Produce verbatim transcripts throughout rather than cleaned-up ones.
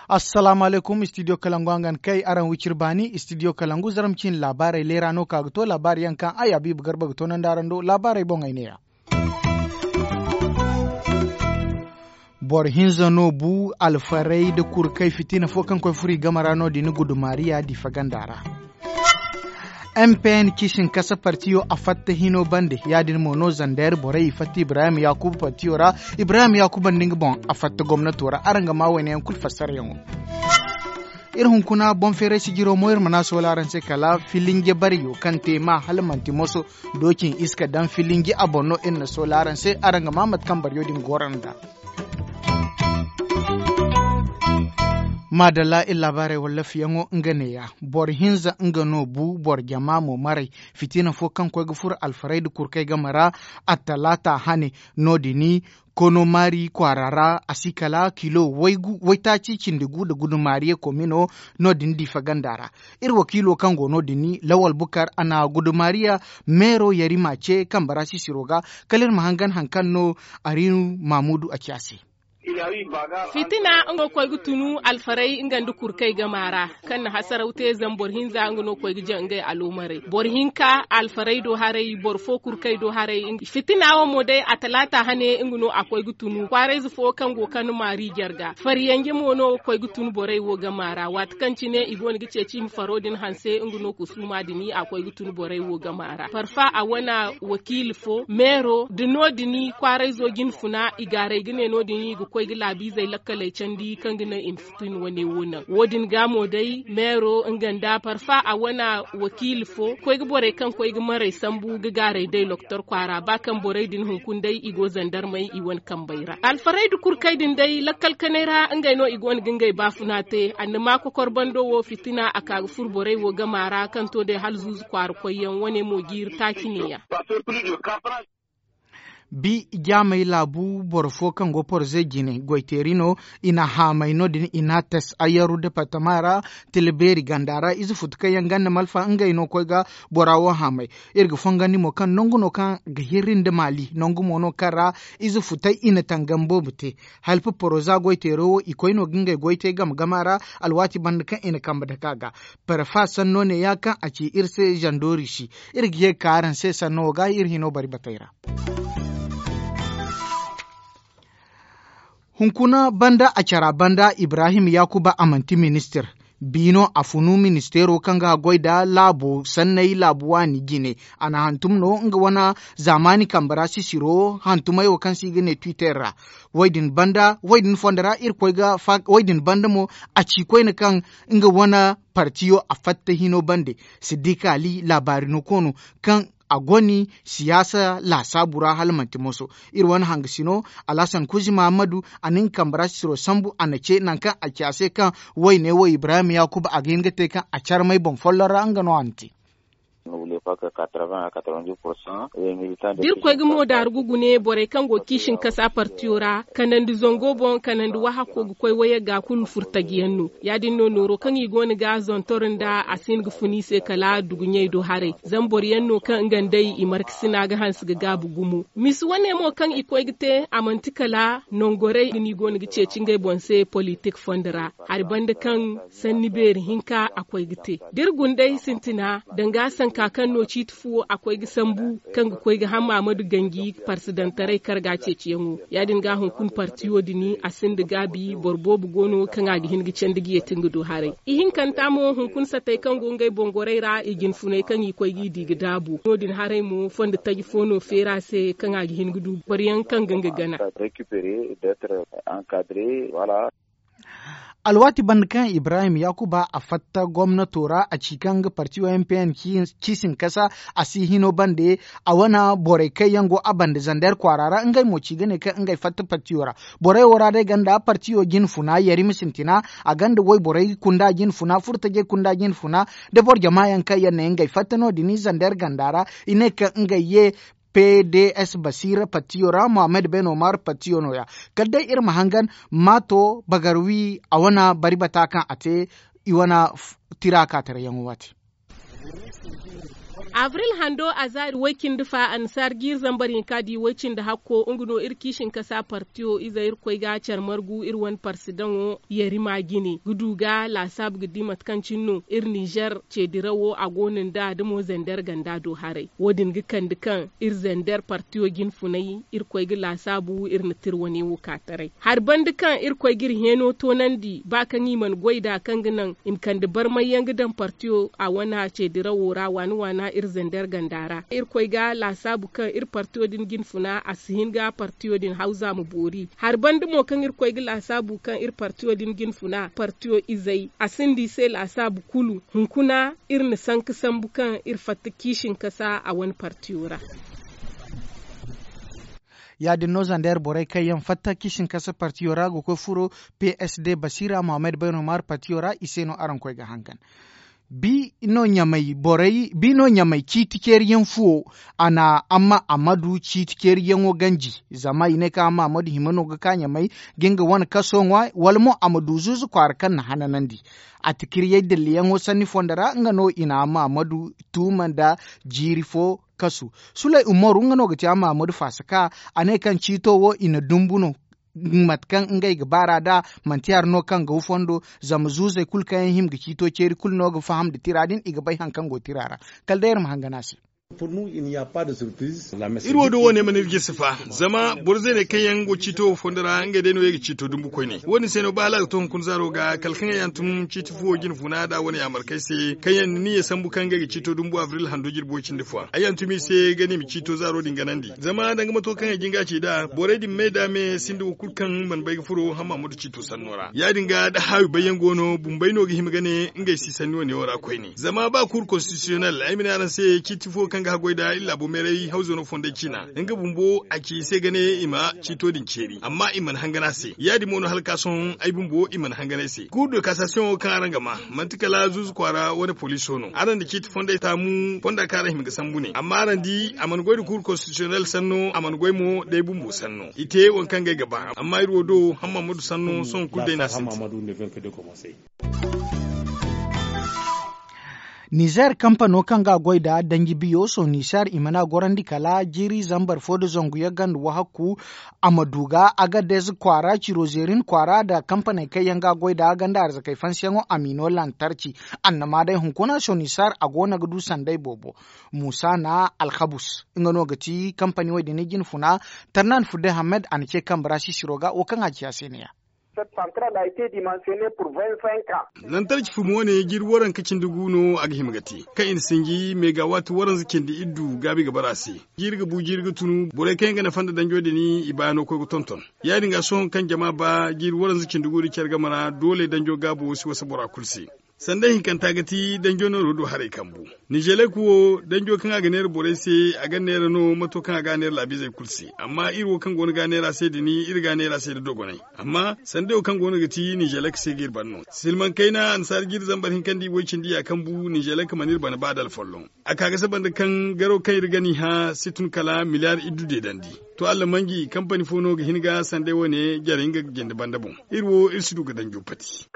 Assalaamu alaykum, istidiyo kalangu a ga ni kay araŋ wiciri baani istidiyo kalangu zarma ciine laabaarey leera no ka ga to laabaari yaŋ kaŋ ay habiibu garba ga toonandi araŋ do laabaarey boŋey ne- ya. Boro hinza no bu alfaray nda kurkay fitina fo kaŋ koy furo i game ra no- din gudumaariya diifa ganda ra. M p n ciisin kasa partiyo a fatta hino bande ya- din mo no zander borey i fatta ibrahim yaakuba partiyo ra. Ibrahim yaakuba nda nga boŋ a fatta gomnato ra araŋ ga maa wayne yaŋ kulu fassarayaŋo. Iri hunkuna boŋ feeray sijiro mo iri ma ne a soola araŋ se kala filinje bariyo kaŋ te ma hala manti moso doocin iska daŋ filinje a boŋ no iri na soola araŋ se araŋ ga maa mate kaŋ bariyo din goro nd'a. Maadalla iri laabaarey wallaafiyaŋo nga neeya. Boro hinza nga no bu boro jama mo maray. Fitina fo kaŋ koy ga furo alfaray nda kurkay game ra attalaata hane no- din kono maari kwaara ra a si kala kilo waytaaci cindi gu nda gudumaariya komino no- din diifa ganda ra. Iri wakiilo kaŋ go no- din lawal bukar a na gudumaariya meero yarima ce kambe ra sisiro ga. Kala iri ma hangan hari kaŋ no ariinu maamudu a ci a se. Fitina nga no koy ga tunu alfaray nga nda kurkay game ra kaŋ na hasaraw te zama boro hinza nga no koy ga jaŋ ngey aloomarey boro hinka alfaray do haray boro fo kurkay do haray. Fitina wo mo day a talaata hane nga no a koy ga tunu kwaarayze fo kaŋ go kande maari jarga fariyanje mo no koy ga tunu borey wo game ra waati kaŋ cine i go no ga ceeci i ma faro din hanse nga no kusuuma din a koy ga tunu borey wo game ra parfa a wane wakiila fo meero nda no- din kwaarayzo jinfuna i gaaray ga ne no- din i ga koy ga laabiizey lakkaley candi kaŋ ga naŋ i ma fitina wane wo naŋ wo- din ga mo day meero nga nda parfa a wane wakiila fo koy ga borey kaŋ koy ga maray sambu ga gaaray day lokotor kwaara ba kaŋ borey din hunkuna day i go zandarmey i wane kambey ra alfaray nda kurkay din day lakkal kanay ra ngey no i go no ga ngey baafuna te annama kokor bando wo fitina a ka ga furo borey wo game ra kaŋ to day hala zuuzu kwaara koyyaŋ wane mo jiiri taaci neeya. Bi jaamey laabu boro fo kaŋ go porze jine goyteeri no i na haamay no- din i n'a tas ayaru departama ra. Tila beeri ganda ra ize futu kaŋ yaŋ ganda malfa ngey no koy ga bora wo haamay. Iri ga fongandi mo kaŋ nangu no kaŋ ga hirri nda maali nangu mo no kaŋ ra ize futey i na tangam boobo te. Halpa poroza goyteero wo i koy no ga ngey goy te game game ra. Alwaati banda kaŋ i na kambe dake a ga parfa sanno neeya kaŋ a ci iri se zandoori si. Iri ga ye ga ka araŋ se sanno wo ga iri hino bari batey ra. Hunkuna banda a cara banda ibrahim yaakuba a manti ministir. Biino a funu ministeero kaŋ ga goy nda laabo sanney laabu waani jine. A na hantum no nga wane zaamaani kambe ra sisiro hantumey wo kaŋ se i ga ne twitter ra. Wo- din banda wo- din fondo ra iri koy ga wo- din banda mo a ci koyne kaŋ nga wane partiyo a fatta hino bande. Siddiika ali laabaari no koono kaŋ a goni siyaasa laasaabu ra hala manti moso. Iri wane hangasino alhasan kuzi mahammadu a na nga kambe ra sisiro sambu a na ce nangu kaŋ a ci a se kaŋ wayne wo ibrahim yaakuba a ga hin ga te kaŋ a carmay boŋ folloŋ ra nga no a na te. Da iri koy ga mo daaru ga gune borey kaŋ go ga ciisin kasa partiyo ra kanandi zango boŋ kanandi wahako ga koy wayey ga kulu furtajiyaŋ no. Ya- din no nooro kaŋ i go no ga zontor nda a si hin ga fun i se kala duguɲey do haray. Zama boro yaŋ no kaŋ nga nd'ey i markasina ga hanse ga gaabu gumo. Misa wane mo kaŋ i koy ga te a manti kala nangorey ga no i go no ga ceeci ngey boŋ se politik fondo ra. Hari banda kaŋ sanni beeri hinka a koy ga te. Da iri guna day sintina danga sanka kaŋ no ciiti fuwo a koy ga sambu kaŋ ga koy ga hama ma du ganji parsidantaray karga ceeciyaŋo. Ya- din ga hunkuna partiyo din a sinda gaabi boro boobo go no kaŋ a ga hin ga candi ga yeeti nga do haray. Ihinkanta mo hunkuna satey kaŋ go ngey boŋ gorey ra i jinfuney kaŋ i koy g'i di ga daabu no- din haray mo fondo taji fo no feera se kaŋ a ga hin ga du boro yaŋ kaŋ ga nga gana. Alwaati banda kaŋ ibrahim yaakuba a fatta gomnato ra a ci kaŋ nga partiyo m p n ciisin kasa a si hino bande. A wane borey kaŋ yaŋ go a banda zander kwaara ra ngey mo ci ga ne kaŋ ngey fatta partiyo ra. Borey wo ra day ganda partiyo jinfuna yarima sintina a ganda wayborey kunda jinfuna furtajey kunda jinfuna da boro jama yaŋ kaŋ yaŋ ne ngey fatta no- din zander ganda ra. I ne kaŋ ngey ye p d s basiira patiyo ra mohammed ben omar patiyo no- ya. Kala day iri ma hangan maato bagarwi a wane bari bata kaŋ a te. i wane tira kaataray yaŋo waati. Abril hando a zaari way-cindi fa annasaara jiiri zambar hinka di way-cindi hakko nga no iri kiisinkasa partiyo izey iri koy ga care margu iri wane parsidaŋo yarima jine ga du ga laasaabu ga di mate kaŋ cine no iri ninzeer ceedirawo a go no nd'a da mo zander ganda do haray. Wo- din ga kande kaŋ iri zander partiyo jinfunay iri koy ga laasaabu iri na tira wane wo ka taray. Hari banda kaŋ iri koy ga iri heeno toonandi ba kaŋ i mana goy nd'a kaŋ ga naŋ i ma kande barmay yaŋ ga daŋ partiyo a wane ceedirawo ra waana waana iri zander ganda ra iri koy ga laasaabu kaŋ iri partiyo din jinfuna a si hin ga partiyo din hawza ma boori. Hari banda mo kaŋ iri koy ga laasaabu kaŋ iri partiyo din jinfuna partiyo izey a sinda i se laasaabu kulu. Hunkuna iri na sanka sambu kaŋ iri fatta kiisinkasa a wane partiyo ra. Ya- din no zander borey kaŋ yaŋ fatta kiisinkasa partiyo ra ga koy furo p s d basiira mohammed bayno maar partiyo ra i se no araŋ koy ga hangan. Bi no ɲamay ciiti ceeri yaŋ fuwo a na amma amadu ciiti ceeri yaŋo ganji. Zama i ne kaŋ amma amadu hima no ga ka ɲamay ga nga wane kaso ŋwa wala mo a ma du zuuzu kwaara kaŋ na hananandi. A ti kiryey dilliyaŋo sanni fondo ra nga no i na amma amadu tuuma nda jiiri fo kasu. Sulay umaru nga no ga ti amma amadu faasa ka a ne kaŋ ciito wo i na dumbu no. Mate kaŋ ngey ga baar'a nd'a manti hari no kaŋ ga wu fondo. Zama zuuzey kulu kaŋ yaŋ hima ga ciito ceeri kulu no ga faham nda tira din i ga bay hari kaŋ go tira ra. Kala day iri ma hangan a se. Iri wo do wo ne mana iri jirsi fa. Zama boro zeeney kaŋ yaŋ go ciito wo fondo ra ngey day no ye ga ciito dumbu koyne wo- din se no ba hala a ga to hunkuna zaaro ga kala kaŋ ay hantum ciiti fuwo jinfuna nd'a wane yaamarkey se kaŋ yaŋ na niyya sambu kaŋ ngey ga ciito dumbu abril hando jirbi way cindi fo ay hantum i se ga ne i ma ciito zaaro din ganandi. Zama danga mato kaŋ ay jin ga a ci nd'a borey din me nd'a me sinda wo kulu kaŋ mana bay ga furo hamma mudu ciito sanno ra ya- din ga da haawi bayyaŋ go no bumbey no ga hima ga ne ngey si sanni wane wo ra koyne zama ba kuuru konstitisiyonel ay ma ne araŋ se ciiti fo kaŋ ga haggoy nd'a iri laabo meeray hawzo no fonday ciina. Nga bumbo a ci i se ga ne i ma ciito din ceeri amma i mana hangan a se ya- din mo no hala ka sohõ ay bumbo i mana hangan ay se kuuru de kasasiyoŋo kaŋ araŋ ga ma manti kala zuuzu kwaara wane poliso no araŋ na ciiti fonday taamu fonda kaŋ araŋ hima ga sambu ne amma araŋ di a mana goy nda kuuru konstitisiyonel sanno a mana goy mo day bumbo sanno i te waŋ kaŋ ga ay ga ba amma iri wo do hamma mudu sanno sohõ kulu day no a sintin. Nizer kampano kaŋ ga a goy nda danji biyo sohõ nizer i mana gorandi kala jiiri zambar fo nda zangu yaŋ ganda wahakku. A ma du ga agadez kwaara ciro zeerin kwaara nda kampaney kaŋ yaŋ ga a goy nda a ganda arzakey fansiyaŋo a m'i no lantarci. Annama day hunkuna sohõ nizer a go no ga du sanday boobo. Muusa na alkabus nga no ga ti kampani wo- din jinfuna. Tarnan fudde hammed a na ce kambe ra sisiro ga wo kaŋ a ci a se ne ya. Lantarci fumi wane jiiri waranka cindi gu no a ga hima ga te kaŋ i na sinji megawaati waranza cindi iddu gaabi ga bara a se. Jiiri ga bu jiiri ga tunu borey kaŋ yaŋ ga nafa nda danjo din i baayaŋ no koy ga tonton. Ya- din ga sohõ kaŋ jama ba jiiri waranza cindi gu nda care game ra doole danjo gaabo si wasa bora kulu se. Sanda hinkanta ga ti danjo nooro do haray kambu. Nizelek wo danjo kaŋ a ga neera borey se a ga neera no mato kaŋ a ga a neera laabiizey kulu se amma iri wo kaŋ go no ga a neera se din iri ga a neera se nda dogonay. Amma sanday wo kaŋ go no ga ti nizelek se ga iri ban no silmaŋ kayna annasaara jiiri zambar hinka nda i way cindi ya kambu nizelek mana iri bana ba da alfolloŋ. A ka ga saba nda kaŋ garo kaŋ iri ga ni hã si tun kala miliyar iddu deedandi. To allamanji kampani fo no ga hin ga sanday wane jare nga ga jinde banda boŋ. Iri wo iri si du ga danjo pati.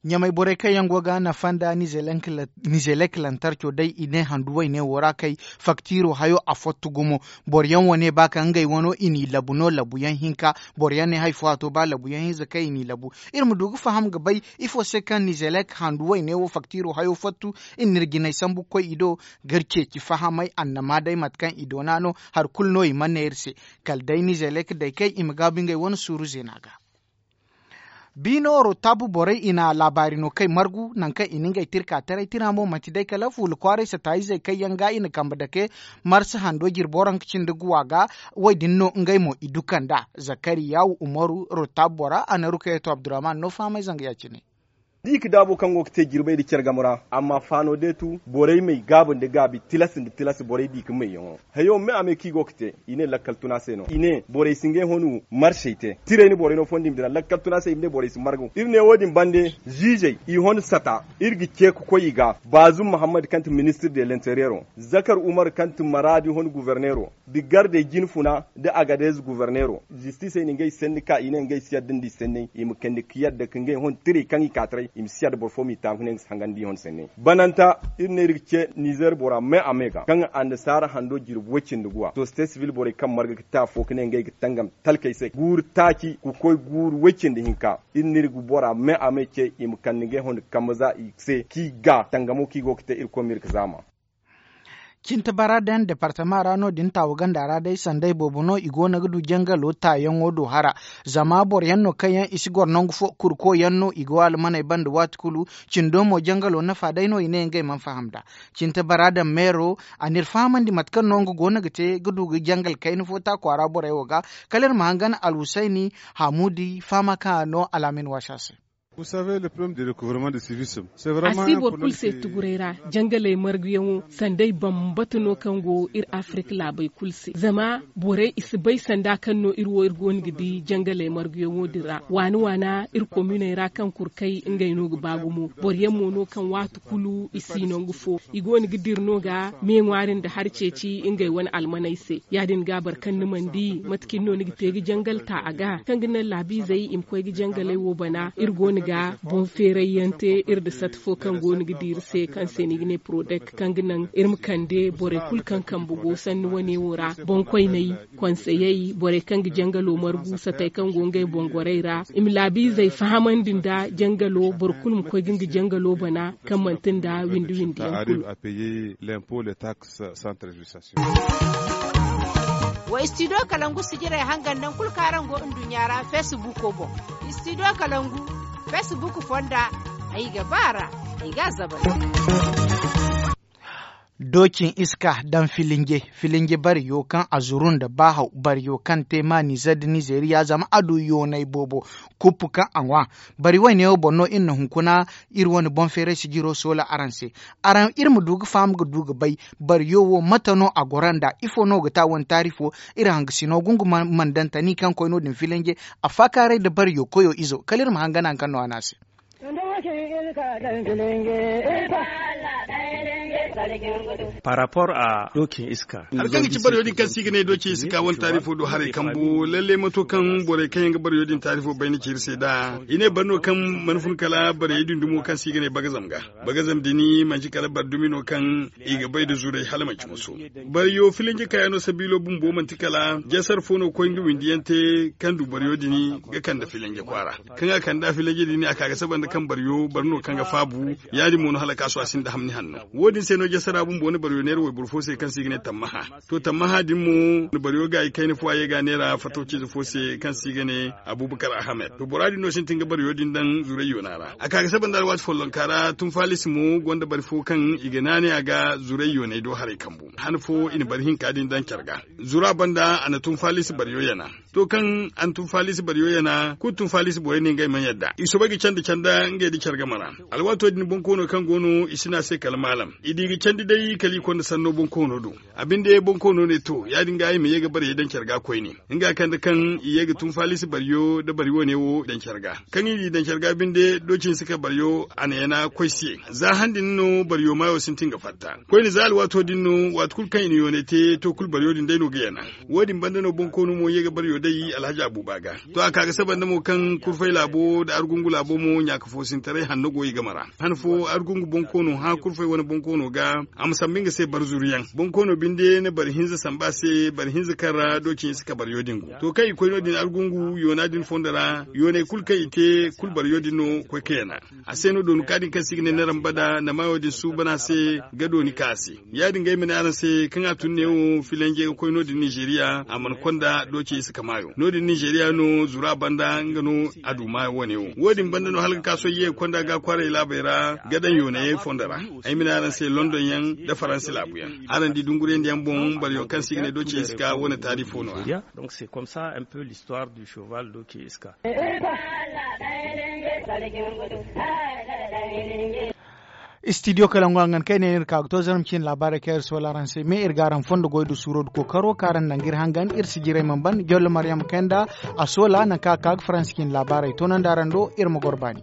Ɲamay borey kaŋ yaŋ go ga nafa nda nizelek lantarco day i ne handu wayne wo ra kay. Faktiro hayo a fottu gumo. Boro yaŋ wane ba ka ngey wano i n'i labu no labuyaŋ hinka. Boro yaŋ ne hari fo a to ba labuyaŋ hinza kaŋ i n'i labu. Iri ma du ga faham ga bay ifo se kaŋ nizelek handu wayne wo faktiro hayo fottu. Iri n'iri jinay sambu ga koy i do ga iri ceeci fahamay annama day mate kaŋ i doona no. Hari kulu no i mana ne iri se. Kala day nizelek day kay i ma gaabu ngey wane suuru zeena ga. Biino rotabu borey i na laabaari no kay margu nangu kaŋ i na ngey tirka taray tira mo manti day kala fuula kwaaray sataayizey kaŋ yaŋ ga i na kambe dake. Marsa hando jirbo ranka cindi guwa ga. Wo- din no ngey mo i du kand'a. Zakariyawu umaru rotabu bora a na rukayeto abdurrahman no fahamay zanga ya- cine. i ga daabo kaŋ go ga te jirbey nda care game ra amma faano deetu borey may gaabu nda gaabi tilas nda tilas borey di ga mayyaŋo. Hayo me a me kaŋ i go ga te i ne lakkal tuna se no i ne borey si ngey honu marsey te tirey ni borey no fondo i ma dira lakkal tuna se i ma ne borey si margu iri ne wo- din bande ziizey i hon sata iri ga ce ga koy i ga baazum mahammad kaŋ ti ministir de lenteriyero zakar umar kaŋ ti maraadi hon guverneero nda gardey jinfuna nda agadez guverneero zistisey na ngey sanni ka i ne ngey si yadda nda i sanney i ma kande ga yadda ka ngey hon tirey kaŋ i ka taray i ma si yadda boro fo m'i taabu ka ne nga si hangandi i hon sanney bananta iri ne iri ga ce nizer bora me a me ga kaŋ annasaara hando jirbi way-cindi guwa to state civil borey kaŋ marga ga te afo ka ne ngey ga tangam talkey se guuru taaci ga koy guuru way-cindi hinka iri n'iri ga bora me a me ce i ma kande ngey hon ga kambe za i se kaŋ i ga tangamo kaŋ i go ga te irkoy ma iri ga zaama. Cinte bara daŋ departama ra no- din taawu ganda ra day sanday boobo no i go no ga du jangalo taayaŋo do hara. Zama boro yaŋ no kaŋ yaŋ i si goro nangu fo kurko yaŋ no i go almaney banda waati kulu. Cindo mo jangalo nafa day no i ne ngey mana faham nd'a. Cinte bara daŋ meero a n'iri fahamandi mate kaŋ no nga go no ga te ga du ga jangal kayna fo ta kwaara borey wo ga. Kala iri ma hangan alhusayni hamuudi fahama kaŋ a no alaamin waasa se. A si boro kulu se tuguray ra jangaley marguyaŋo sanday bambata no kaŋ go iri afirika laabey kulu se zama borey i si bay sanda kaŋ no iri wo iri go no ga di jangaley marguyaŋo din ra waana waana iri kominey ra kaŋ kurkay ngey no ga ba gumo boro yaŋ mo no kaŋ waati kulu i si nangu fo i go no ga dira no ga me ŋwaari nda hari ceeci ngey wane almaney se ya- din ga boro kaŋ ni mana di mate cine no ni ga te ga jangal ta a ga kaŋ ga naŋ laabiizey i ma koy ga jangaley wo bana iri go no ga boŋ feeray yaŋ te iri nda sata fo kaŋ go no ga di iri se kaŋ se no i ga ne porodek kaŋ ga naŋ iri ma kande borey kulu kaŋ kambe go sanni wane wo ra boŋkoyney konseyey borey kaŋ ga jangalo margu satey kaŋ go ngey boŋ gorey ra i ma laabiizey fahamandi nda jangalo boro kulu ma koy ga nga jangalo bana kaŋ manti nda windi windi yaŋ kulu. Wa istidiyo kalangu sijirey hangan nangu kulu kaŋ araŋ go nduɲɲa ra feesibuuko boŋ. Istidiyo kalangu feesibuuko fonda ay ga ba a ra ay ga a zabari. Doocin iska daŋ filinje filinje bariyo kaŋ a zuru nda baahaw bariyo kaŋ te maaniize nda nizeeriya zama a du yoonay boobo. Kuppu kaŋ a ŋwa bari wayne wo boŋ no iri na hunkuna. Iri wane boŋ feeray sijiro soola araŋ se araŋ iri ma du ga faham ga du ga bay. Bariyo wo mate no a goro nd'a ifo no ga te a wane taarifo? Iri hangasino gungu mandantani kaŋ koy no- din filinje a faakaaray nda bariyo koyo izo kala iri ma hangan hari kaŋ no a ne a se. Par rapport à doocin iska hari kaŋ ga ci bariyo din kaŋ se i ga ne doocin iska wane taarifo do haray kambu lalle mato kaŋ borey kaŋ yaŋ ga bariyo din taarifo bay na ci iri se nd'a i ne bari no kaŋ mana fun kala bariyey din dumo kaŋ se i ga ne bagazam ga. Bagazam din manti kala bari dumi no kaŋ i ga bay nda zuray hala manti moso. Bariyo filinje kayano sabiilo bumbo manti kala jasar fo no ga koy nga windi yaŋ te kaŋ du bariyo din ga kande filinje kwaara. Kaŋ a kande a filinje din a ka ga saba nda kaŋ bariyo bari no kaŋ ga faabu ya- din mo no hala kaasu a sinda hamni hanno. Wo- din se no jasara bumbo na bariyo neera wayboro fo se kaŋ se i ga ne tammaha. To tammaha din mo na bariyo gaayi kayna fo a ye ga a neera fatawciize fo se kaŋ se i ga ne abubakar ahamed to bora din no sintin ga bariyo din daŋ zuray yoona ra a ka ga saba nda alwaati follonka ra tunfaalisi mo gonda bari fo kaŋ i ga naanay a ga zuray yoonay do haray kambu han fo i na bari hinka din daŋ care ga. Zura banda a na tunfaalisi bariyo yana. To kaŋ a na tunfaalisi bariyo yana kulu tunfaalisi borey ne ngey mana yadda i soobay ga candi canda ngey nda care game ra. Alwaato din boŋ koono kaŋ go no i si ne a se kala maalam i di ga candi day kala i konda sanno boŋ koono do. A binde boŋ koono ne to ya- din ga i ma ye ga bariyey daŋ care ga koyne. Nga kande kaŋ i ye ga tunfaalisi bariyo nda bari wane wo daŋ care ga kaŋ i n'i daŋ care ga binde doocin si ka bariyo a na yana koy se za han din no bariyo maayo sintin ga fatta. Koyne za alwaato din no waati kulu kaŋ i na yoonay te to kulu bariyo din day no ga yana. Wo- din banda no boŋ koono mo ye ga bariyo day alhaji abuba ga. To a ka ga saba nda mo kaŋ kurfay laabo nda argungu laabo mo ɲaaka foosintaray hanno go i game ra. Han fo argungu boŋ koono hã kurfay wane boŋ koono ga a ma sambu nga se bari zuru yaŋ boŋ koono binde na bari hinza sambu a se bari hinza kaŋ ra doocin i si ka bariyo din go. To kaŋ i koy no- din argungu yoona din fondo ra yooney kulu kaŋ i te kulu bariyo din no koy ka yana. A se no dooni ka din kaŋ se i ga ne naramba da na maayo din suuban a se ga dooni ka a se. Ya- din ga ay ma ne araŋ se kaŋ a tun neewo filanjey ga koy no- din nizeeriya a mana konda doocey si ka. No- din nizeeriya no zura banda nga no a du maayo wane wo. Wo- din banda no hala ga ka sohõ ye ga konda ga kwaaray laabey ra ga daŋ yoonayey fondo ra. Ay ma ne araŋ se london yaŋ nda faransi laabu yaŋ. Araŋ di dungurandi yaŋ boŋ boro yaŋ kaŋ se i ga ne doce iska wane taarifo no- ya. Istidiyo kala ngo hangan kaŋ ay ne no iri ka ga to zarma ciine laabaarey kaŋ iri soola araŋ se me iri ga araŋ fondo goy nda suuro nda kookaro kaŋ araŋ naŋ ga iri hangan iri si jiray mana ban jollo maryam kay nda a soola nangu kaŋ a ka ga faransi ciine laabaarey toonandi araŋ do iri ma goro baani.